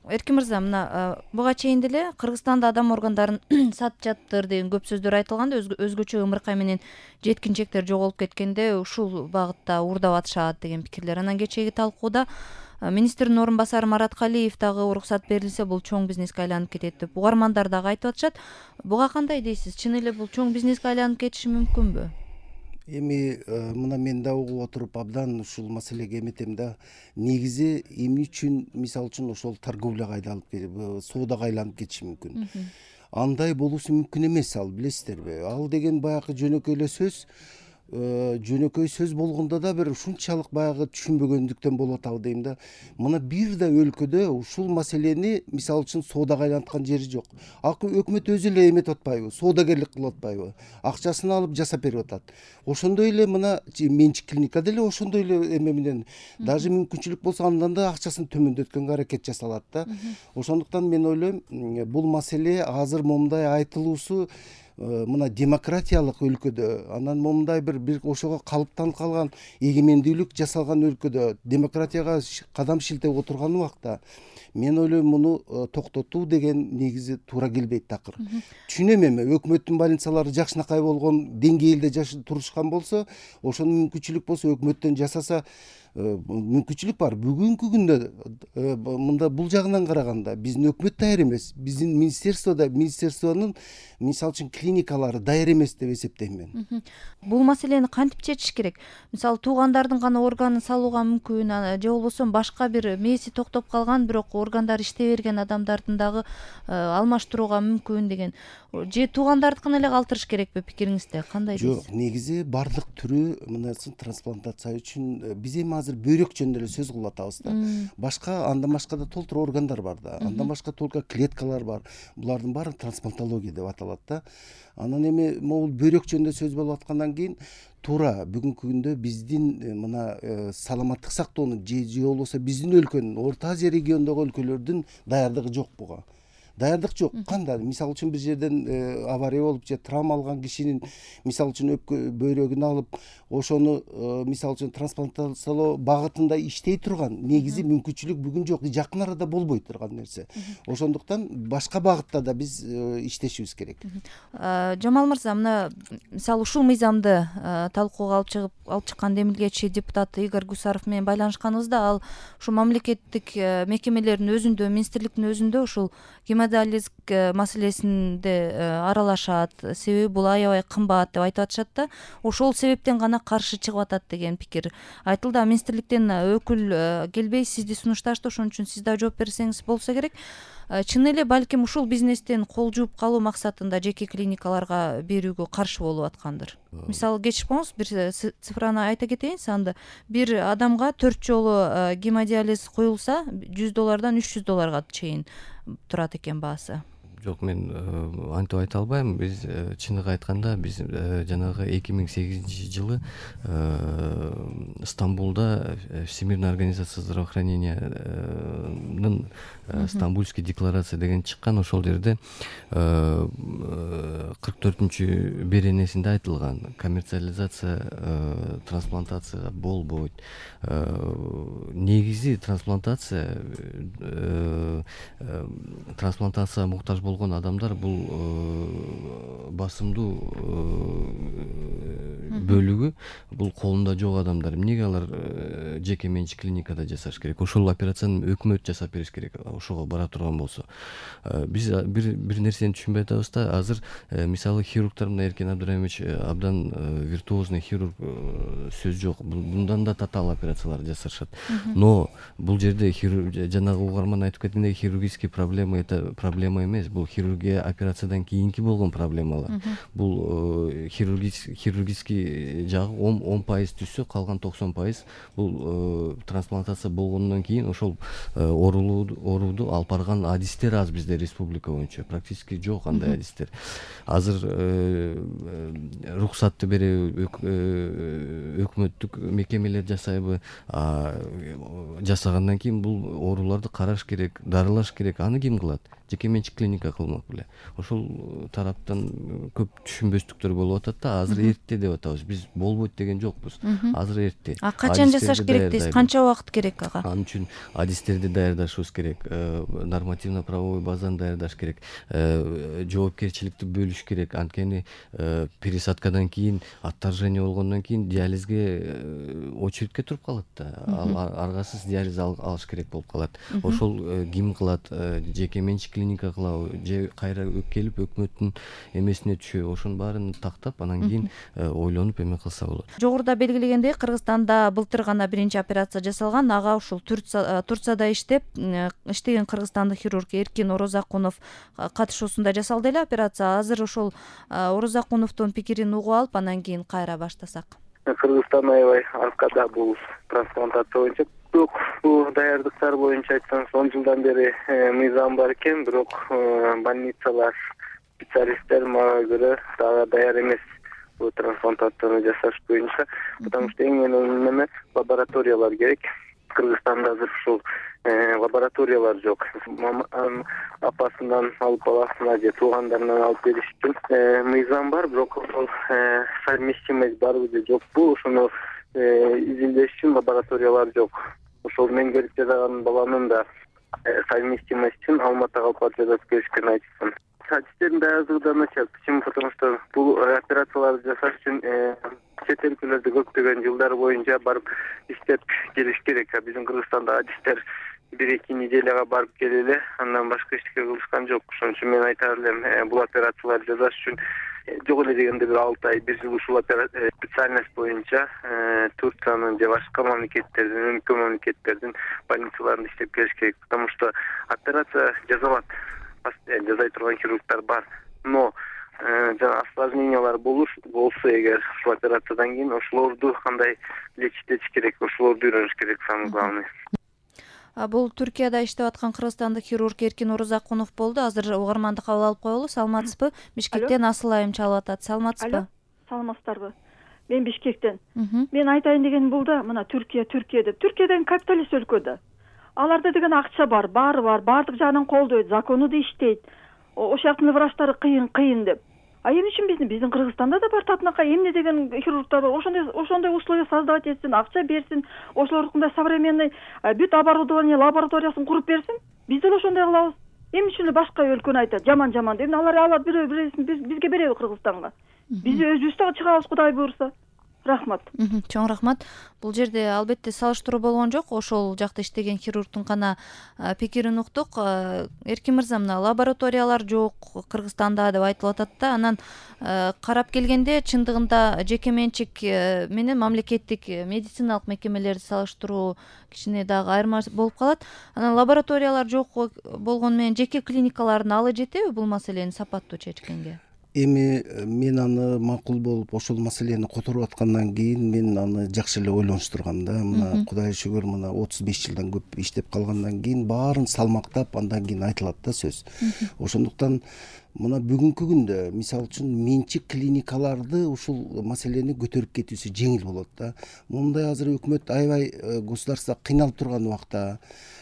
Эркин мырза, мына буга чейин деле Кыргызстанда адам органдарын сатып жатыр деген көп сөздөр айтылганда, өзгөчө ымыркай менен жеткинчектер жоголуп кеткенде ушул багытта уурдап атышат деген пикирлер. Анан кечээги талкууда министрдин орун басары Марат Калиев дагы уруксат берилсе бул чоң бизнеске айланып кетет деп угармандар дагы айтып атышат. Буга кандай дейсиз? Чын эле бул чоң бизнеске айланып кетиши мүмкүнбү? Эми мына мен да угуп отуруп абдан ушул маселеге эметем да. Негизи эмне үчүн мисалы үчүн ошол торговляга айланып кетип, соодага айланып кетиши мүмкүн. Андай болуусу мүмкүн эмес, ал билесиздерби? Ал деген баягы жөнөкөй эле сөз. Жөнөкөй сөз болгондо да бир ушунчалык баягы түшүнбөгөндүктөн болуп атабы дейм да. Мына бир да өлкөдө ушул маселени мисалы үчүн соодага айланткан жери жок. Өкмөт өзү эле эметип атпайбы, соодагерлик кылып атпайбы, акчасын алып жасап берип атат. Ошондой эле мына менчик клиника деле ошондой эле эме менен даже мүмкүнчүлүк болсо андан да акчасын төмөндөткөнгө аракет жасалат да. Ошондуктан мен ойлойм, бул маселе азыр момундай айтылуусу мына демократиялык өлкөдө, анан момундай бир ошого калыптанып калган эгемендүүлүк жасалган өлкөдө демократияга кадам шилтеп отурган убакта мен ойлойм муну токтотуу деген негизи туура келбейт такыр. Түшүнөм, эми өкмөттүн больницалары жакшынакай болгон деңгээлде турушкан болсо, ошону мүмкүнчүлүк болсо өкмөттөн жасаса мүмкүнчүлүк бар. Бүгүнкү күндө мында бул жагынан караганда биздин өкмөт даяр эмес, биздин министерствонун мисалы үчүн клиникалары даяр эмес деп эсептейм мен. Бул маселени кантип чечиш керек? Мисалы туугандардын гана органын салууга мүмкүн, же болбосо башка бир мээси токтоп калган бирок органдар иштей берген адамдардын дагы алмаштырууга мүмкүн деген. Же туугандардыкын эле калтырыш керекпи пикириңизде? Кандай дейсиз? Жок, негизи бардык түрү мынасы трансплантация үчүн биз эми азыр бөйрөк жөнүндө эле сөз кылып атабыз да. Башка андан башка да толтура органдар бар да. Андан башка толтура клеткалар бар. Булардын баары трансплантология деп аталат да. Анан эми могул бөйрөк жөнүндө сөз болуп аткандан кийин туура бүгүнкү күндө биздин мына саламаттык сактоонун же болбосо биздин өлкөнүн Орто Азия регионундагы өлкөлөрдүн даярдыгы жок буга. Даярдык жок. Кандай? Мисалы үчүн бир жерден авария болуп же травма алган кишинин мисалы үчүн бөйрөгүн алып, ошону мисалы үчүн трансплантациялоо багытында иштей турган негизи мүмкүнчүлүк бүгүн жок, жакын арада болбой турган нерсе. Ошондуктан башка багытта да биз иштешибиз керек. Жамал мырза, мына мисалы ушул мыйзамды талкууга алып чыккан демилгечи депутат Игорь Гусаров менен байланышканыбызда, ал ушу мамлекеттик мекемелердин өзүндө, министрликтин өзүндө ушул гемодиализ маселесинде аралашат, себеби бул аябай кымбат деп айтып атышат да. Ошол себептен гана каршы чыгып атат деген пикир айтылды. Министрликтен өкүл келбей сизди сунушташты, ошон үчүн сиз да жооп берсеңиз болсо керек. Чын эле балким ушул бизнестен кол жууп калуу максатында жеке клиникаларга берүүгө каршы болуп аткандыр. Мисалы кечикпоңуз, бир цифраны айта кетейин санды. Бир адамга 4 жолу гемодиализ коюлса, $100 $300 чейин турат экен баасы. Жок, мен антип айта албайм. Биз чыныгы айтканда биз жанагы 2008-жылы Стамбулда Всемирная организация здравоохранениянын Стамбульский декларация деген чыккан. Ошол жерде 44-чү беренесинде айтылган коммерциализация трансплантацияга болбойт. Негизи трансплантацияга муктаж болгон адамдар бул басымдуу бөлүгү бул колунда жок адамдар. Эмнеге алар жеке менчик клиникада жасаш керек? Ошол операцияны өкмөт жасап бериш керек, ошого бара турган болсо. Биз бир нерсени түшүнбөй атабыз да. Азыр мисалы хирургтар, мына Эркин Абдыраимович абдан виртуозный хирург, сөз жок. Мындан да татаал операциялар жасашат. Но бул жерде жанагы угарман айтып кеткендей хирургический проблема это проблема эмес. Бул хирургия операциядан кийинки болгон проблемалар. Бул хирургический жагы 10% түшсө, калган 90% бул трансплантация болгондон кийин ошол оорууду алып барган адистер аз бизде республика боюнча. Практически жок андай адистер. Азыр руксатты береби өкмөттүк мекемелер жасайбы? Жасагандан кийин бул ооруларды караш керек, дарылаш керек. Аны ким кылат? Жеке менчик клиника кылмак беле. Ошол тараптан көп түшүнбөстүктөр болуп атат да. Азыр эрте деп атабыз. Биз болбойт деген жокпуз. Азыр эрте. Качан жасаш керек дейсиз? Канча убакыт керек ага? Ал үчүн адистерди даярдашыбыз керек. нормативно правовой базаны даярдаш керек, жоопкерчиликти бөлүш керек. Анткени пересадкадан кийин, отторжение болгондон кийин диализге очередке туруп калат да. Аргасыз диализ алыш керек болуп калат. Ошол ким кылат? Жеке менчик клиника кылабы же кайра келип өкмөттүн эмесине түшөбү? Ошонун баарын тактап, анан кийин ойлонуп эме кылса болот. Жогоруда белгилегендей, Кыргызстанда былтыр гана биринчи операция жасалган. Ага ушул Турцияда иштеген кыргызстандык хирург Эркин Орозакунов катышуусунда жасалды эле операция. Азыр ошол Орозакуновдун пикирин угуп алып, анан кийин кайра баштасак. Кыргызстан аябай аркада бул трансплантация боюнча. Бирок бул даярдыктар боюнча айтсаңыз 10 жылдан бери мыйзам бар экен, бирок больницалар, специалисттер мага көрө дагы даяр эмес бул трансплантацияны жасаш боюнча, потому что эң эле лабораториялар керек. Кыргызстанда азыр ушул лабораториялар жок. Апасынан алып баласына же туугандарынан алып бериш үчүн мыйзам бар, бирок ошол совместимость барбы же жокпу, ошону изилдеш үчүн лабораториялар жок. Ошол мен келип жаткан баланын да совместимость үчүн Алматыга алып жатып келишкен айтышкан. Статистиктерин даярдыгы начал. Почему? Потому что бул операцияларды жасаш үчүн чет өлкөлөрдө көптөгөн жылдар боюнча барып иштеп келиш керек. Биздин Кыргызстанда адистер 1-2 неделяга барып келели, андан башка эчтеке кылышкан жок. Ошон үчүн мен айтар элем, бул операцияларды жасаш үчүн жок эле дегенде бир 6 ай, 1 жыл ушул специальность боюнча Турциянын же башка мамлекеттердин, өлкө мамлекеттердин больницаларында иштеп келиш керек. Потому что операция жасалат, жасай турган хирургдар бар. Но жана осложнениялар болсо эгер ушул операциядан кийин ошолорду кандай лечить керек, ошолорду үйрөнүш керек, самый главный. Бул Түркияда иштеп аткан кыргызстандык хирург Эркин Орозакунов болду. Азыр угарманды кабыл алып коелу. Саламатсызбы? Бишкектен Асыл айым чалып атат. Саламатсызбы? Саламатсыздарбы? Мен Бишкектен. Мен айтайын дегеним бул да, мына Түркия деп. Түркия деген капиталист өлкө да. Аларда деген акча бар, баары бар, баардык жагынан колдойт, закону да иштейт. Ошол жактын врачтары кыйын деп. А эмне үчүн биздин Кыргызстанда да бар татынакай эмне деген хирургдар бар. Ошондой условия создавать этсин, акча берсин, ошолордукундай современный бүт оборудование, лабораториясын куруп берсин. Биз деле ошондой кылабыз. Эмне үчүн башка өлкөнү айтат, жаман деп. Алар алат бирөөсүн бизге береби Кыргызстанга. Биз өзүбүз да чыгабыз, Кудай буйрса. Рахмат. Чоң рахмат. Бул жерде албетте салыштыруу болгон жок. Ошол жакта иштеген хирургдун гана пикирин уктук. Эркин мырза, мына лабораториялар жок Кыргызстанда деп айтылып атат да. Анан карап келгенде чындыгында жеке менчик менен мамлекеттик медициналык мекемелерди салыштыруу кичине дагы айырма болуп калат. Анан лабораториялар жок болгону менен жеке клиникалардын алы жетеби бул маселени сапаттуу чечкенге? Эми мен аны макул болуп ошол маселени которуп аткандан кийин мен аны жакшы эле ойлонуштургам да. Мына Кудайга шүгүр, мына 35 жылдан көп иштеп калгандан кийин баарын салмактап андан кийин айтылат да сөз. Ошондуктан мына бүгүнкү күндө мисалы үчүн менчик клиникаларды ушул маселени көтөрүп кетүүсү жеңил болот да. Мындай азыр өкмөт аябай государство кыйналып турган убакта,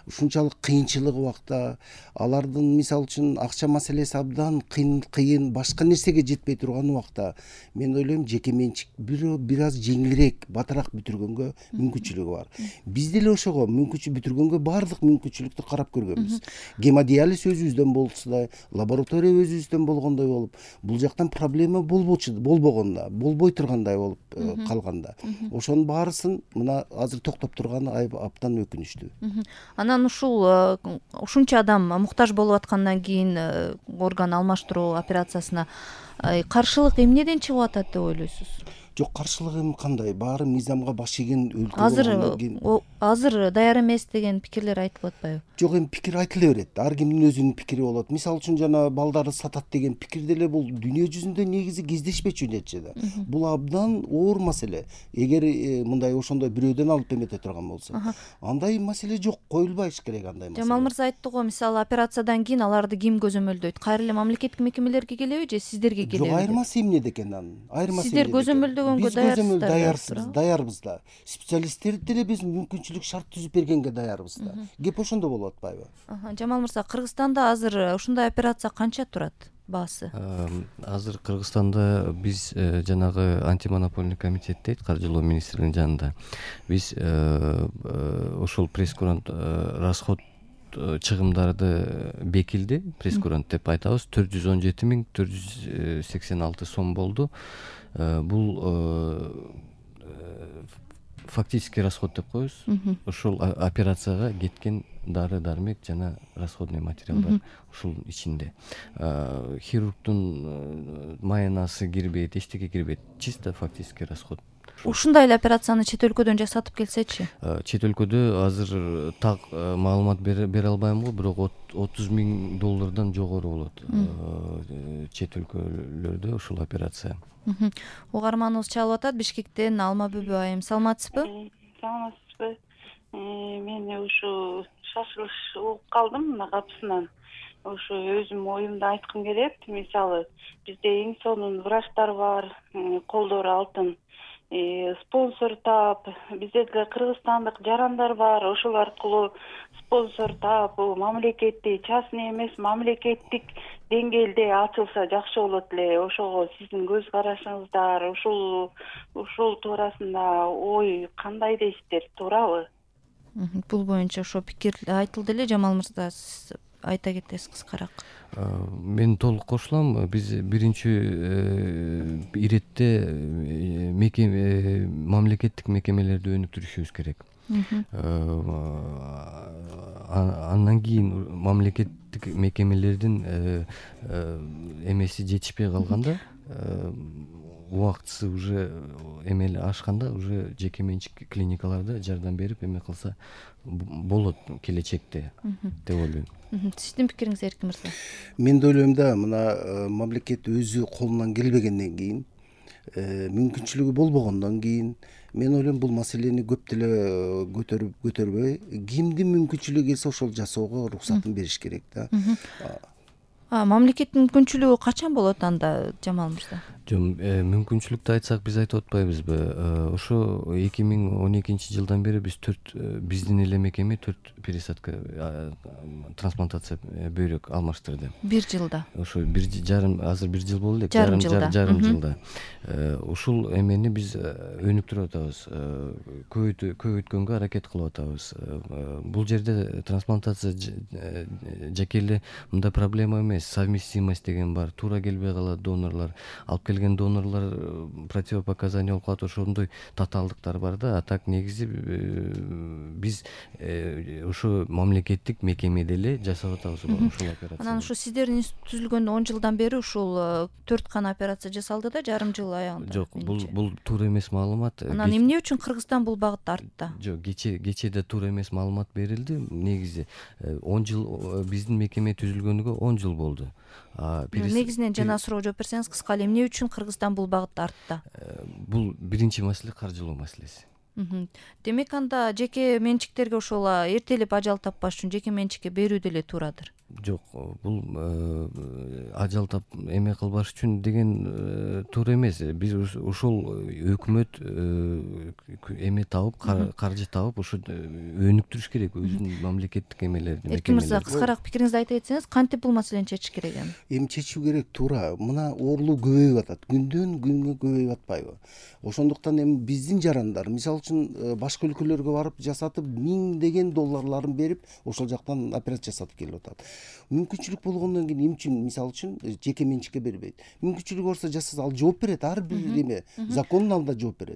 ушунчалык кыйынчылык убакта алардын мисалы үчүн акча маселеси абдан кыйын, башка нерсеге жетпей турган убакта мен ойлойм жеке менчик бир аз жеңилирээк, батыраак бүтүргөнгө мүмкүнчүлүгү бар. Биз деле ошого мүмкүнчүлүк бүтүргөнгө баардык мүмкүнчүлүктү карап көргөнбүз. Гемодиализ өзүбүздөн болсо да, лаборатория өзүбүздөн болгондой болуп, бул жактан проблема болбой тургандай болуп калганда. Ошонун баарысын мына азыр токтоп турганы абдан өкүнүчтүү. Анан ушунча адам муктаж болуп аткандан кийин орган алмаштыруу операциясына каршылык эмнеден чыгып атат деп ойлойсуз? Жок, каршылык эми кандай? Баары мыйзамга баш ийген өлкө. Азыр даяр эмес деген пикирлер айтылып атпайбы? Жок, эми пикир айтыла берет. Ар кимдин өзүнүн пикири болот. Мисалы үчүн жана балдары сатат деген пикир деле бул дүйнө жүзүндө негизи кездешпечү нерсе да. Бул абдан оор маселе. Эгер мындай ошондой бирөөдөн алып эмете турган болсо, андай маселе жок, коюлбайш керек андай маселе. Жамал мырза айтты го, мисалы операциядан кийин аларды ким көзөмөлдөйт? Кайра эле мамлекеттик мекемелерге келеби же сиздерге келеби? Жок, айырмасы эмнеде экен анын? Сиздер көзөмөлдөгөнгө даярбыз да. Специалисттерди деле биз мүмкүнчүлүк шарт түзүп бергенге даярбыз да. Кеп ошондо болуп атпайбы? Жамал мырза, Кыргызстанда азыр ушундай операция канча турат баасы? Азыр Кыргызстанда биз жанагы антимонопольный комитет дейт, каржылоо министрлигинин жанында. Биз ошол пресс-курант расход чыгымдарды бекилди, прескурант деп айтабыз, 417.486 сом болду. Бул фактический расход деп коебуз. Ошол операцияга кеткен дары дармек жана расходный материалдар ушул ичинде. Хирургдун маянасы кирбейт, эчтеке кирбейт, чисто фактический расход. Ушундай эле операцияны чет өлкөдөн жасатып келсечи? Чет өлкөдө азыр так маалымат бере албайм го, бирок $30,000 жогору болот чет өлкөлөрдө ушул операция. Угарманыбыз чалып атат Бишкектен Алма Бүбү айым. Саламатсызбы? Саламатсызбы. Мен ушу шашылыш угуп калдым мына капысынан. Ушу өзүм оюмду айткым келет. Мисалы, бизде эң сонун врачтар бар, колдору алтын. Спонсор таап, бизде деле кыргызстандык жарандар бар, ошол аркылуу спонсор таап, мамлекеттик, частный эмес, мамлекеттик деңгээлде ачылса жакшы болот эле. Ошого сиздин көз карашыңыздар, ушул туурасында ой кандай дейсиздер, туурабы? Бул боюнча ошо пикир айтылды эле. Жамал мырза, сиз айта кетесиз кыскараак. Мен толук кошулам. Биз биринчи иретте мамлекеттик мекемелерди өнүктүрүшүбүз керек. Андан кийин мамлекеттик мекемелердин эмеси жетишпей калганда, убактысы уже эмели ашканда, уже жеке менчик клиникаларда жардам берип эме кылса болот келечекте деп ойлойм. Сиздин пикириңиз Эркин мырза? Мен да ойлойм да, мына мамлекет өзү колунан келбегенден кийин, мүмкүнчүлүгү болбогондон кийин, мен ойлойм бул маселени көп деле көтөрбөй, кимдин мүмкүнчүлүгү келсе ошол жасоого уруксатын бериш керек да. Мамлекеттин мүмкүнчүлүгү качан болот анда, Жамал мырза? Мүмкүнчүлүктү айтсак биз айтып атпайбызбы? Ошо 2012-жылдан бери биз биздин эле мекеме 4 пересадка трансплантация бөйрөк алмаштырды. 1 жылда. Ошо 1,5 азыр 1 жыл болду элек. Жарым жылда. Ушул эмени биз өнүктүрүп атабыз, көбөйткөнгө аракет кылып атабыз. Бул жерде трансплантация жеке эле мындай проблема эмес, совместимость деген бар, туура келбей калат донорлор, алып келген донорлор противопоказание болуп калат, ошондой татаалдыктар бар да. А так негизи биз ошо мамлекеттик мекемеде эле жасап атабыз ушул операцияны. Анан ушу сиздердин институт түзүлгөндө 10 жылдан бери ушул 4 гана операция жасалды да, жарым жыл аягында. Жок, бул туура эмес маалымат. Анан эмне үчүн Кыргызстан бул багытта артта? Жок, кечеде туура эмес маалымат берилди. Негизи 10 жыл биздин мекеме түзүлгөнүгө 10 жыл болду. Негизинен жана суроо жооп берсеңиз кыска эле, эмне үчүн Кыргызстан бул багытта артта? Бул биринчи маселе каржылоо маселеси. Демек анда жеке менчиктерге ошол эртелеп ажал таппаш үчүн жеке менчикке берүү деле туурадыр. Жок, бул ажал тап эме кылбаш үчүн деген туура эмес. Биз ушул өкмөт эме табып, каржы табып, ошо өнүктүрүш керек өзүнүн мамлекеттик эмелерин. Эркин мырза, кыскараак пикириңизди айта кетсеңиз, кантип бул маселени чечиш керек эми? Эми чечүү керек, туура. Мына оорулуу көбөйүп атат, күндөн күнгө көбөйүп атпайбы? Ошондуктан эми биздин жарандар, мисалы үчүн башка өлкөлөргө барып жасатып, $1000 берип, ошол жактан операция жасатып келип атат. Мүмкүнчүлүк болгондон кийин эмне үчүн, мисалы үчүн жеке менчикке бербейт? Мүмкүнчүлүгү болсо жасаса ал жооп берет, ар бир эме закондун алдында жооп берет.